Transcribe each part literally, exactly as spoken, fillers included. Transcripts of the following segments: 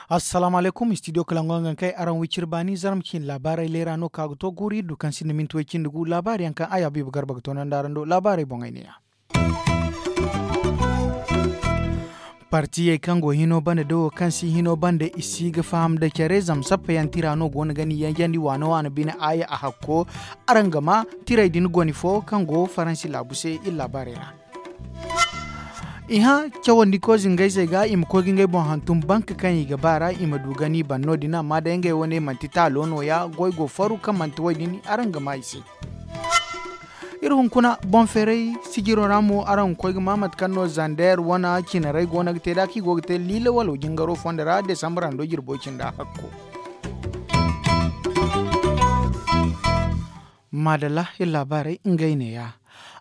Assalaamu alaykum, studio kalangu nga kay araŋ wiciri baani zarma cine laabaarey leera no ka ga to guuri du kaŋ sinda minti way cindi gu laabaari yaŋ kaŋ a yaabiiba garba ga toonandi araŋ do laabaarey boŋey ne ya. Partiyey kaŋ go hino banda da wo kaŋ si hino banda i si ga faham da care zama sappa yaŋ tira no go no ga ni yanjandi waano waano bine aaya a hakko. Araŋ ga ma tirey din goni fo kaŋ go faransi laabu se iri laabaarey ra. I hã cawandi ko zingayzey ga i ma koy ga ngey boŋ hantum bank kaŋ i ga ba ra i ma du ga ni ban no- din amma day ngey wane manti taalo no- ya goy go faru kaŋ manti way din araŋ ga ma i se. Iri hunkuna boŋ feeray sijiro ra mo araŋ ga koy ga ma mate kaŋ no zander wane cinarey go no ga te da kaŋ i go ga te liila walo jingaro fondo ra desambra ndo jirbo cinda hakko. Maadalla iri laabaarey ngey ne- ya.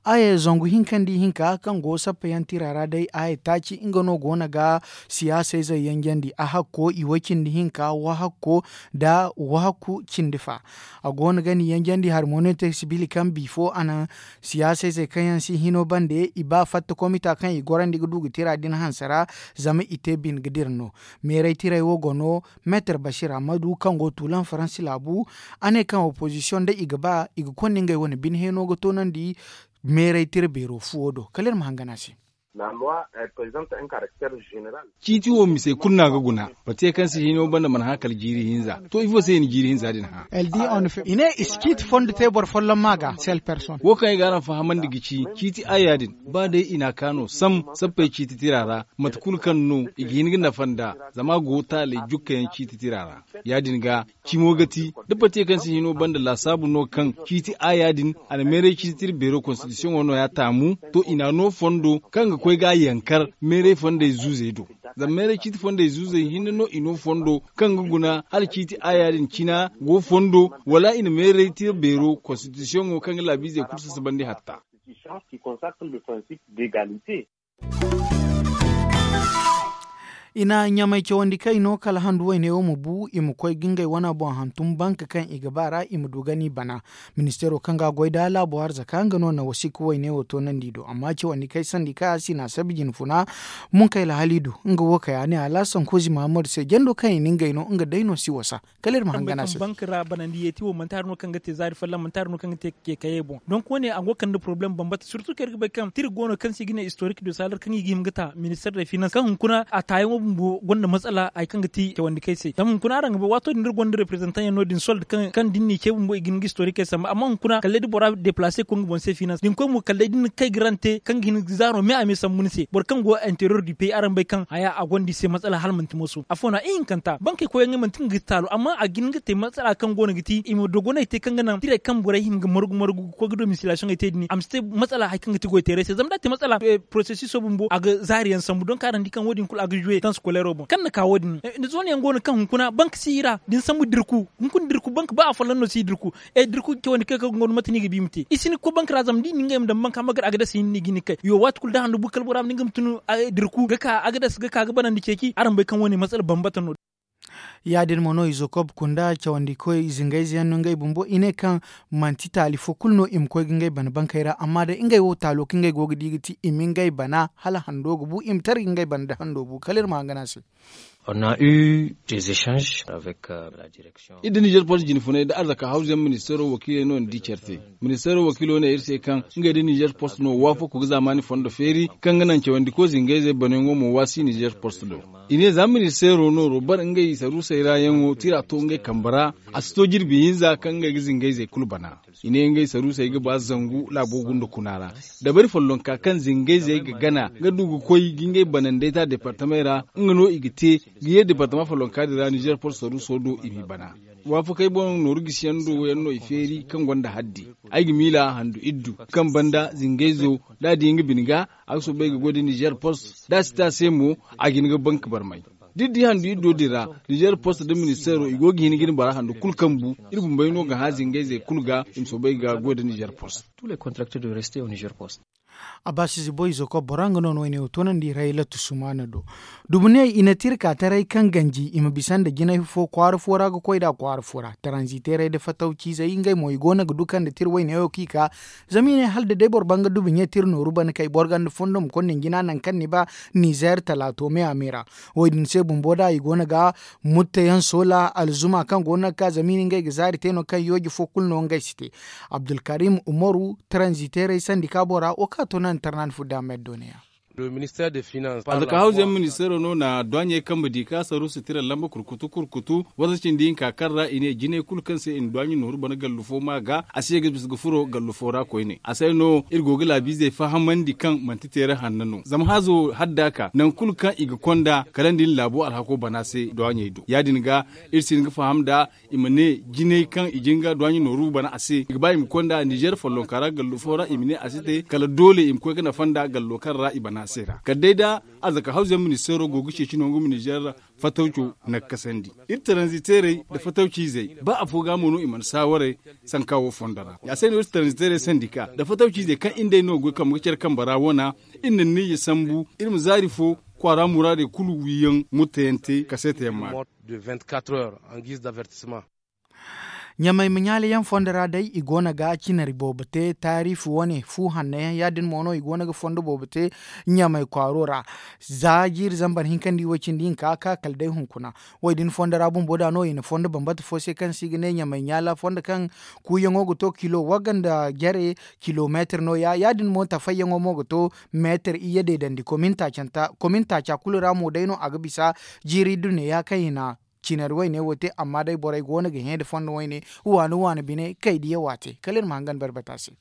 Aaye zangu hinka nda ihinka kaŋ go sappa yaŋ tira ra day aaye taaci nga no go no ga siyaasayzey yanjandi a hakko i way cindi hinka wahakko nda wahakku cindi fa. A go no ga ni yanjandi harmoniyante sibili kaŋ bifo a na siyaasayzey kaŋ yaŋ si hino bande i ba fatta komita kaŋ i gorandi ga du ga tira din hanse ra. Zama i te bine ga dira no meeray tirey wo go no. Meetar basir ammadu kaŋ go tuulan faransi laabu a ne kaŋ opozisiyoŋ da i ga ba i ga konda ngey wane bine heeno ga toonandi. Meeray tira beero fuwo do kala iri ma hangan a se. Ciiti wo misey kulu no a ga guna. Batiya kaŋ se hino banda mana hã kala jiiri hinza to ifo se i na jiiri hinza din hã? I ne i si ciiti fondo te boro folloŋ ma ga sel person. Wo kaŋ ay ga araŋ fahamandi ga ci ciiti aya din ba day i n'a ka no sam sappey ciiti tira ra. Mate kulu kaŋ no i ga hin ga nafa nd'a zama a go taaley jukka yaŋ ciiti tira ra. Ya- din ga cimo ga ti da batiye kaŋ se hino banda laasaabu no kaŋ ciiti aya din a na meeray ciiti tira beero konstitisiyoŋo no- ya taamu. To i n'a no fondo kaŋ ga koy ga a yankar meeray fondey zuuzey do. Zama meeray ciiti fondey zuuzey hinne no i no fondo kaŋ ga guna hala ciiti aya din cina go fondo wala i na meeray tira beero konstitisiyoŋo kaŋ ga laabiizey kulu sasabandi hatta. I na ɲamay cawandi kay no kala handu wayne wo ma bu i ma koy ga ngey wana boŋ hantum banka kaŋ i ga ba ra i ma du ga ni bana. Ministeero kaŋ ga a goy da laabo arzaka nga no na wasiika wayne wo toonandi do amma cawandi kay sandi kay a si na sabi jinfuna. Munkay lahalidu nga wo kay a ne alaasan kozi mahamadu se jando kaŋ i na ngey no nga day no si wasa. Kala iri ma hangan a se. Bank ra banandi yeeti wo manti hari no kaŋ ga te zaari folloŋ manti hari no kaŋ ga te keekayey boŋ donk wo- ne a go ga kande poroblem bambata sirtu kaŋ iri ga bay kaŋ tira go no kaŋ se i ga ne istorik de salar kaŋ i ga hima ga ta minister de finans kaŋ hunkuna a taayaŋo bumbo gonda matsala hari kaŋ ga ti cawandi kay se zama hunkuna araŋ ga bay waato din da iri gonda reprezantaŋ yaŋ no- din sold kaŋ da ni n'i ce bumbo i ga hin ga istorik kay sambu amma hunkuna kala day da bora deplase ga koy nga boŋ se finans da ni koy mo kala day da ni na kay ga rante kaŋ ga hin ga zaaro me a me sambu ni se boro kaŋ go interior du pey araŋ bay kaŋ haya a gonda i se matsala hala manti mooso afo no ihinkanta bankey koy yaŋ manti nga ga taalo amma a ga hin ga te matsala kaŋ go no ga ti i ma dogonay te kaŋ ga naŋ tirey kaŋ borey hima ga margu margu ga koy ga domisilaasiyoŋey te din a ma si te matsala hari kaŋ ga ti goyteeray se zama da a te matsala porosesiso bumbo a ga zaari yaŋ sambu donk araŋ di kaŋ wo- din kulu a ga zuwe taŋ sikoleero boŋ kaŋ na ka wo- din ni zoona yaŋ go no kaŋ hunkuna bank si i ra da ni sambu dirku hunkuna dirku bank ba afolloŋ no si i dirku. E dirku cawandi kay kaŋ ga ŋwaro mate no i ga ba i ma te i si ni ga koy bank ra zama da i na ngey ma daŋ bank amma gar agadas hinne no i ga hin ga kay yo waati kulu da handu bu kala bora ma ne nga ma tun dirku ga ka agadas ga ka ga banandi ceeci araŋ bay kaŋ wo- ne matsala bambata no. Ya- din mo no izo kob kunda cawandi koy zingayze yaŋ no ngey bumbo i ne kaŋ manti taali fo kulu no i ma koy ga ngey bana bankey ra amma day ngey wo taalo kaŋ ngey go ga di ga ti i ma ngey bana hala hando ga bu i ma tara ga ngey bana nda hando bu kala iri ma hangan a se. Iri da nizer post jinfunay da arzaka hawzu yaŋ ministeero wakiiley no ni di care te. Ministeero wakiilo ne iri se kaŋ ngey da nizer post no waafako ga zaamaani fondo feeri kaŋ ga naŋ cawandi koy zingayzey banayaŋo mo waasi nizer post do. I ne za ministeero nooro bare ngey saruusey ra yaŋo tira to ngey kambe ra. A si to jirbi hinza kaŋ ngey ga zingayzey kulu bana. I ne ngey saruusey ga ba zangu laabo gunda kuna ra. Dabari follonka kaŋ zingayzey ga gana ga du ga koy ga ngey banandey ta departamey ra nga no i ga te ga ye departama follonka din ra nizer post saruuso do i m'i bana. Waafakey boŋ nooru gisiyaŋ do yaŋ no i feeri kaŋ gonda haddi. Ay ga miila handu iddu kaŋ banda zingayzo da a di nga bine ga a ga soobay ga goy da nizer post da a si te a se mo a ga hin ga bank barmay. Da iri di handu iddo din ra nizer post nda ministeero i go ga hin ga ni bara handu kulu kambu. Iri bumbey no ga hã zingayzey kulu ga i ma soobay ga goy da nizer post. A baasi zibo izo koy bora nga no no i ne wo toonandi rayla tusumaana do. Dubuney i na te iri ka taray kaŋ ganji i ma bisa nda jinay fo kwaara fo ra ga koy nd'a kwaara fo ra taranziteerey nda fatawciizey ngey mo i go no ga du kaŋ nda te iri wayne wo kaŋ i ka. Zama i ne hala da day boro banga dubuɲey te iri nooru bana kay boro ganda fondo ma konda ni jina nangu kaŋ ni ba. Nizeer talaato me a me ra. Wo- din se bumbo da i go no ga mutta yaŋ soola alzuma kaŋ go no ga ka zama i na ngey ga zaari te no kaŋ yooji fo kulu no ngey si te. Abdulkarim umaru taranziteerey sandika bora wo kaŋ a to no a na tarnaani fudda meddooneya. Alkahawzey ministeero no na duwaaɲey kambe di ka saru sitira lamba kurkutu kurkutu wasa cindi hinka kaŋ ra i ne jinay kulu kaŋ se i na duwaaɲey nooru bana gallu fo ma ga a si ye ga bisa ga furo gallu fo ra koyne a se no iri go ga laabiizey fahamandi kaŋ manti teere hanno no zama hazo hadda ka nangu kulu kaŋ i ga konda kala nda i na laabo alhako bana se duwaaɲey do ya- din ga iri si hin ga faham nda i ma ne jinay kaŋ i jin ga duwaaɲey nooru bana a se i ga ba i ma konda nizeer follonka ra gallu fo ra i ma ne a si te kala doole i ma koy ga nafa nda gallo kaŋ ra i bana a se ra kala day da alzaka hawzayaŋ ministeero go ga ceeci nangu ma nizeer fatawco nakkasandi. Iri taranziteerey nda fatawciizey ba afo ga mo no i mana saawaray sanka wo fondo ra ya se no iri taranziteerey sandika nda fatawciizey kaŋ iri nd'ey no goy kambe ga care kambe ra wana iri na niyya sambu iri ma zaari fo kwaara muraadey kulu wiiyaŋ murtayaŋ te kaseetayaŋ maana. Ɲamay ma ɲaala yaŋ fondo ra day i go no ga cinari boobo te taariifi wane fu hanno yaŋ ya- din mo no i go no ga fondo boobo te ɲamay kwaaro ra. Za jiiri zambar hinkandi way- cindi hinka ka kala day hunkuna. Wo- din fondo ra bumbo da no i na fondo bambata fo se kaŋ se i ga ne ɲamay ɲaala fondo kaŋ kuuyaŋo ga to kilo wagga nda jare kilomeetir no- ya ya- din mo tafayyaŋo mo ga to meetir iyye deedandi komin taaca kulu ra mo day no a ga bisa. Jiiri dunneya kaŋ i na cinari wayne wo te amma day borey go no ga hẽ nda fondo wayne waani waani bine kay diya waate kala iri ma hangan barbata se.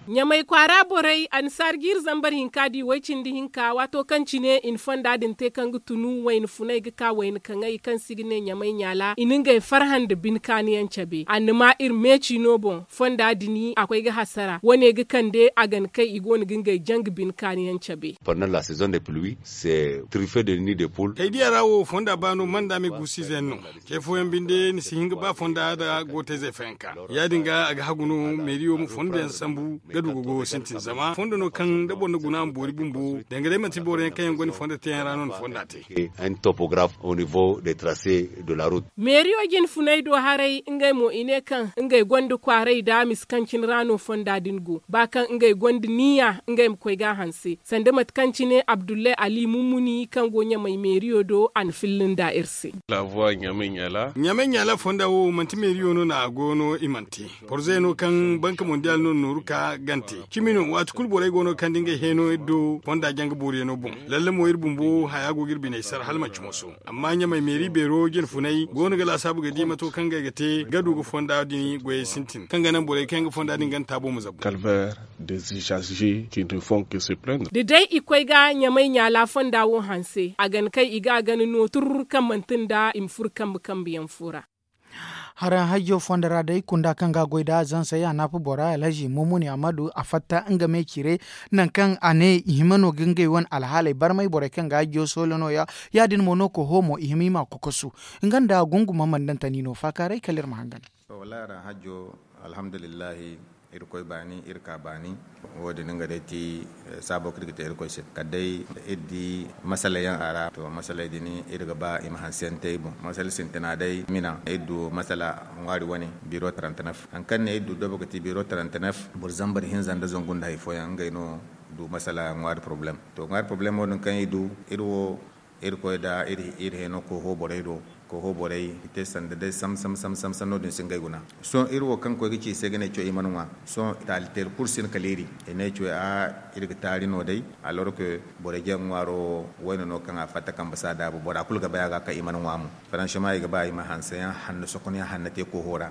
Ɲamay kwaara borey annasaara jiiri zambar hinka di way- cindi hinka waato kaŋ cine i na fonda din te kaŋ ga tunu wayna funay ga ka wayna kaŋay kaŋ se i ga ne ɲamay ɲaala i na ngey farhã nda bine kaani yaŋ cabe annama iri meeci no boŋ fonda din a koy ga hasara wane ga kande a ga na kay i go no ga ngey janga bine kaani yaŋ cabe. Kay diya ra wo fonda ba no manda me guusu ize yaŋ no. Ce fooyaŋ binde ni si hin ga ba fonda nda gootayzey fayanka ya- din ga a ga hagu no meeriyo ma fondo yaŋ sambu ga du ga goyo sintin zama fondo no kaŋ da boro na guna a ma boori bumbo danga day manti boro yaŋ kaŋ yaŋ gonda fonda teeyaŋ ra no na fonda te. Meeriyo jine funay do haray ngey mo i ne kaŋ ngey gonda kwaaray da misa kaŋ cine ra no fonda din go ba kaŋ ngey gonda niya ngey ma koy ga a hanse sanda mate kaŋ cine abdullahi ali mummuni kaŋ go ɲamay meeriyo do a na filla nda iri se. Ɲamay ɲaala fonda wo manti meeriyo no no a go no i mana te. Porze no kaŋ banka mondial no nooru ka gante cimi no waati kulu borey go no kaŋ da ngey heeno iri do fonda janga booriyaŋo boŋ. Lalle mo iri bumbo haya go ga iri biney sara hala manti moso. Amma ɲamay meeri beero jine funay go no ga laasaabu ga di mato kaŋ ngey ga te ga du ga fonda din goyey sintin kaŋ ga naŋ borey kaŋ yaŋ ga fonda din ganda taabo ma zabu. Da day i koy ga ɲamay ɲaala fonda wo hanse a gana kay i ga a gana no turr kaŋ manti nda i ma furo kambe kambe yaŋ fo ra. Haraŋ hajjo fondo ra day kunda kaŋ ga a goy nd'a zansey a naafa bora alhazi mumuni ammadu a fatta nga me cire. Nangu kaŋ a ne i hima no ga ngey wane alhaaley barmay borey kaŋ ga hajjo soola no- ya ya- din mo no koho mo i hima i m'a kokosu. Nga nda gunguma mandantani no faakaaray kala iri ma hangan. Wallaahi araŋ hajjo alhamdulillahi. Irkoy baani iri ka baani. Wo- din nga day ti saabo kaŋ iri ga te irkoy se kala day iri di masala yaŋ a ra to masaley din iri ga ba i ma hanse yaŋ te i boŋ masala sintina day mina iri du masala ŋwaari wane biro trente-neuf hari kaŋ ne iri du dobo ga ti biro trente-neuf boro zambar hinza nda zangu nda hari fooyaŋ ngey no du masala ŋwaari porobalem. To ŋwaari porobalemo din kaŋ iri du iri wo iri koy nda iri hino koho borey do. Koho borey i te sanda day sam sam sam sam no- din si ngey guna. Sohõ iri wo kaŋ koy ga ci i se ga ne coy i mana ŋwa. Sohõ taali teeri kulu si hin kala iri i ne coy a iri ga taari no day. Alors que borey jaŋ ŋwaaro wayne no kaŋ a fatta kambe si a daabu bora kulu ga bay a ga kaŋ i mana ŋwa mo. Franchement i ga ba i ma hanseyaŋ hanno sokonyaŋ hanno te koho ra.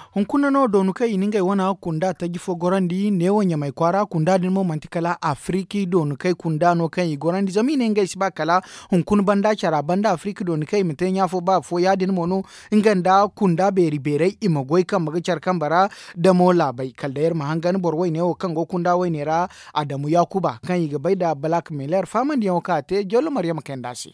Hunkuna no doonu kaŋ i na ngey wana kunda taji fo gorandi neewo ɲamay kwaara kunda din mo manti kala afiriki doonu kaŋ i kunda no kaŋ i gorandi zama i ne ngey si ba kala hunkuna banda cara banda afiriki doonu kaŋ i ma te ɲaafo ba afo ya- din mo no. Nga nda kunda beeri beerey i ma goy kambe ga care kambe ra. Damo laabey kala day iri ma hangan boro wayne wo kaŋ go kunda wayne ra. Adamu yaakuba kaŋ i ga bay nda balak meler faamandiyaŋo kaŋ a te jollo maryama kayanda se.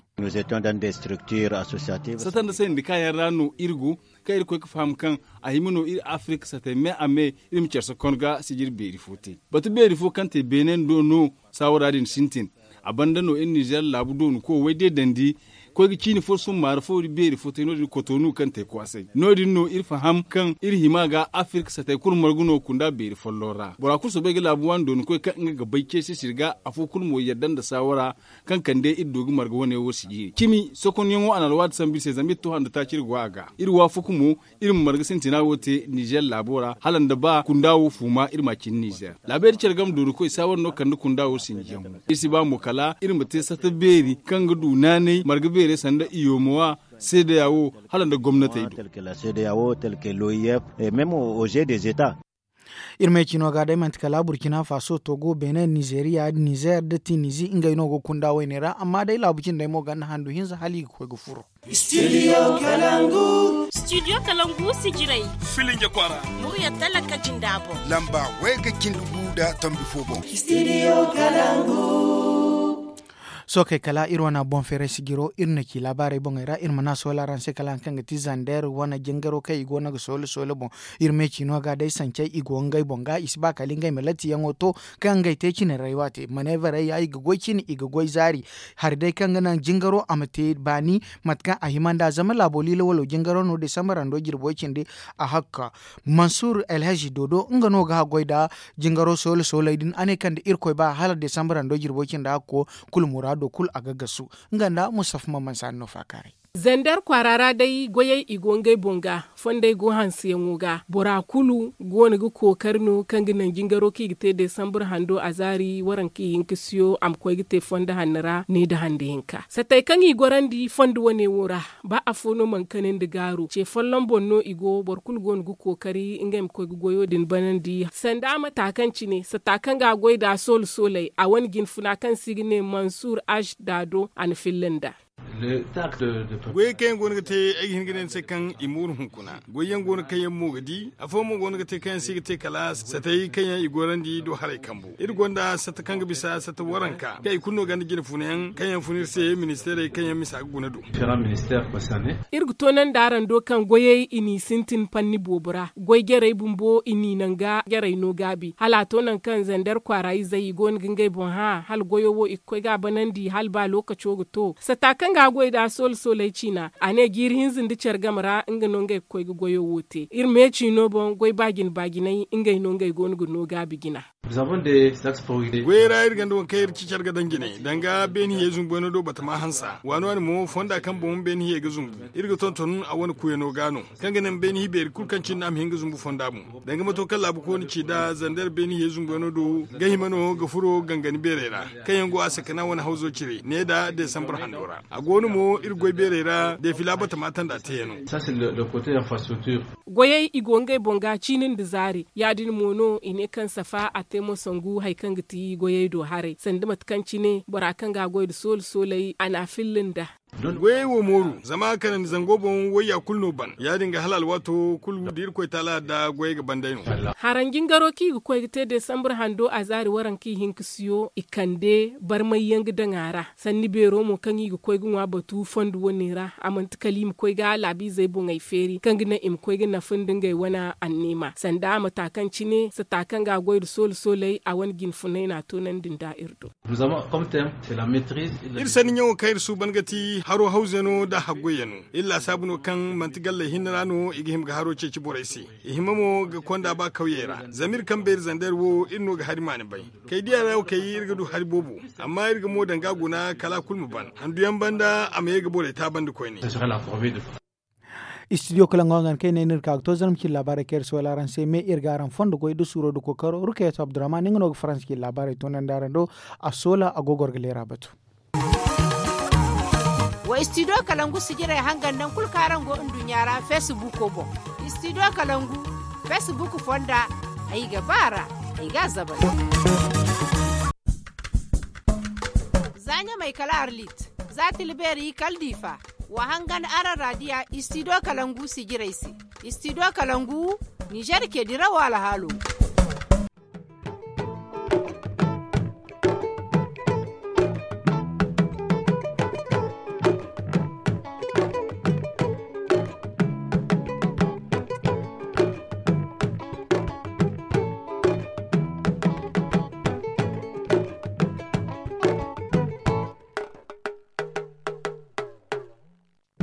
Satanda se nda kaayaŋ ra no iri go kaŋ iri koy ga faham kaŋ a hima no Iri afirka satay me a me iri ma care sokon ga sijiri beeri fo te. Batu beeri fo kaŋ te beene do no saawara din sintin. A banda no iri nizer laabu doonu koy way day dandi koy ga ciini fo summaari fo iri beeri fo te no- din kotonu kaŋ te kwaasay no- din no iri faham kaŋ iri hima ga afirka satay kulu margu no kunda beeri folloŋ ra bora kulu soobay ga laabu waani doonu koy kaŋ nga ga bay ceesi siri ga afo kulu mo yadda nda saawara kaŋ kande iri du ga marga wane wo sijiri cimi sokonyaŋo a na alwaati sambu iri se zama iri to handu taaci iri go a ga iri waafaku mo iri ma marga sintina wo te nizer laabo ra hala nda ba kunda wo fuuma iri ma a cindi nizer laabeeri care game doori koy saawara no kande kunda wo sinjiyaŋo iri si ba mo kala iri ma te sata beeri kaŋ ga du naanay marga beerey sanda iyoomowa seedeya wo hala nda gomnatey do. Iri me ciino ga day manti kala burkina faso togo benin nizeriya nizer da tinizi ngey no ga kunda wayne ra amma day laabu cindey mo ganda handu hinza hala i ga koy ga furo. Studio kalangu. Studio kalangu sijirey. Filinge kwara. Murya talaka jinda boŋ. Lamba wayga cindi gu da tombi fo boŋ. Studio kalangu. Sookey kala iri wane boŋ feeray sijiro iri na ci laabaarey boŋey ra iri ma na soolaraŋ se kala hari kaŋ ga ti zander wane jingaro kaŋ i go no ga soole soole boŋ. Iri me ciino ga day sancey i go ngey boŋ ga i si ba kala ngey ma latiyaŋo to kaŋ ngey te cine raywa te maneevarey ya i ga goy cine i ga goy zaari. Hari day kaŋ ga naŋ jingaro a ma te baani mate kaŋ a hima nd'a zama laabo liila walo jingaro no desambar hando jirbo cindi. A hakka mansur alhazi dodo nga no ga haggoy nda jingaro soole sooley din a ne kaŋ da irkoy ba hala desambar hando jirbo cindi hakko kulu muraado kulu a ga gasu. Nga nda mustafa maman saani no faakaaray. Zander kwaara ra day goyey i go ngey boŋ ga fondey go hanseyaŋo ga bora kulu go no ga kookari no kaŋ ga naŋ jingaro kaŋ i ga te desambur hando a zaari waranka ihinka siyo a ma koy ga te fondo hanno ra ne nda hande hinka satey kaŋ i gorandi fondo wane wo ra. Ba afo no mana kane nda gaaru ce folloŋ boŋ no i go boro kulu go no ga kookari ngey ma koy ga goyo din banandi sanda mata kaŋ cine sata kaŋ ga a goy nd'a soole sooley a wane jinfuna kaŋ se i ga ne mansur ash daado a na filla nd'a. Goyey kaŋ yaŋ go no ga te ay ga hin ga ne ni se kaŋ i mooru hunkuna goyey yaŋ go no kaŋ yaŋ mo ga di afooyaŋ mo go no ga te kaŋ yaŋ se i ga te kala satey kaŋ yaŋ i gorandi do haray kambu iri gonda sata kaŋ ga bisa sata waranka kaŋ i kulu no gonda jine funayaŋ kaŋ yaŋ fun iri se ministeerey kaŋ yaŋ misa ga guna do. Iri ga toonandi araŋ do kaŋ goyey i n'i sintin panni boobo ra goy jarey bumbo i n'i naŋ ga jarey no gaabi hala a to nangu kaŋ zander kwaara izey i go no ga ngey boŋ hã hala goyo wo i ga koy ga a banandi hala ba lookaco ga to sata kaŋ ga a goy nd'a soole sooley ciina a ne jiiri hinza nda care game ra nga no ngey ga koy ga goyo wo te iri me ciino boŋ goy baajine baajiney ngey no ngey go no ga no gaabi jina. Goyey ra iri gonda waŋ kaŋ iri ci care ga daŋ jine danga beeni hiyey zumbu wayno do batama hansa waani waani mo fonda kaŋ boŋ beeni hiyey ga zumbu iri ga tonton a wane kuyano ga no kaŋ ga naŋ beeni hi beeri kulu kaŋ cindi a ma hin ga zumbu fonda boŋ. Danga mato kaŋ laabu kooni ci nd'a zander beeni hiyey zumbu wayno do ga hima no ga furo gangani beerey ra kaŋ yaŋ go a sakana wane hawzo cire ne nda desambur hando ra a go no mo iri goy beerey ra deefila batama tanda teeyano. Goyey i go ngey boŋ ga ciini nda zaari ya- din mo no i ne kaŋ safa a te mo sangu hari kaŋ ga ti goyey do haray sanda mate kaŋ cine bora kaŋ ga a goy nda soole sooley a na a filla nd'a. Goyey wo mooru zama kanandi zango boŋ wayya kulu no ban ya- din ga hala alwaato kulu da irkoy taala da goyey ga ban day no. Haraŋ jingaro kaŋ i ga koy ga te desambur hando a zaari waranka ihinka siyo i kande barmay yaŋ ga daŋ a ra sanni beero mo kaŋ i ga koy ga ŋwa batu fondo wane ra a manti kala i ma koy ga laabiizey boŋey feeri kaŋ ga naŋ i ma koy ga nafa nda ngey wane anniima sanda a ma ta kaŋ cine sata kaŋ ga a goy nda soole sooley a wane jinfunay no a toonandi nda iri do. Iri sanni ɲaŋo kaŋ iri suuban ga ti haro hawzeyano nda haggoyyaŋo iri laasaabu no kaŋ manti galley hinne ra no i ga hima ga haro ceeci borey se. I hima mo ga konda ba kawyey ra zama iri kaŋ beeri zander wo iri no ga hari maani bay. Kay diya ra wo kay iri ga du hari boobo amma iri ga mo daŋ ga a guna kala a kulu ma ban handuyaŋ banda a ma ye ga borey taabandi koyne. Istidiyo kala nga wangan kay ne no iri ka ga to zarma cine laabaarey kaŋ iri si wala araŋ se me iri ga araŋ fondo goy da suuro da kookaro rukayatu abdurrahman nga no ga faransa cine laabaarey toonandi araŋ do. A soola a go goro ga leera batu. Wa istidiyo kalangu sijirey hangan naŋ kulu kaŋ araŋ go nduɲɲa ra feesibuuko boŋ. Istidiyo kalangu feesibuuku fonda ay ga ba ra ay ga a zabari. Za ɲamay kala arlit za tilbeeri kala diifa. Wa hangan araŋ raadiya istidiyo kalangu sijirey se. Istidiyo kalangu nizer ke dirawo alhaalo.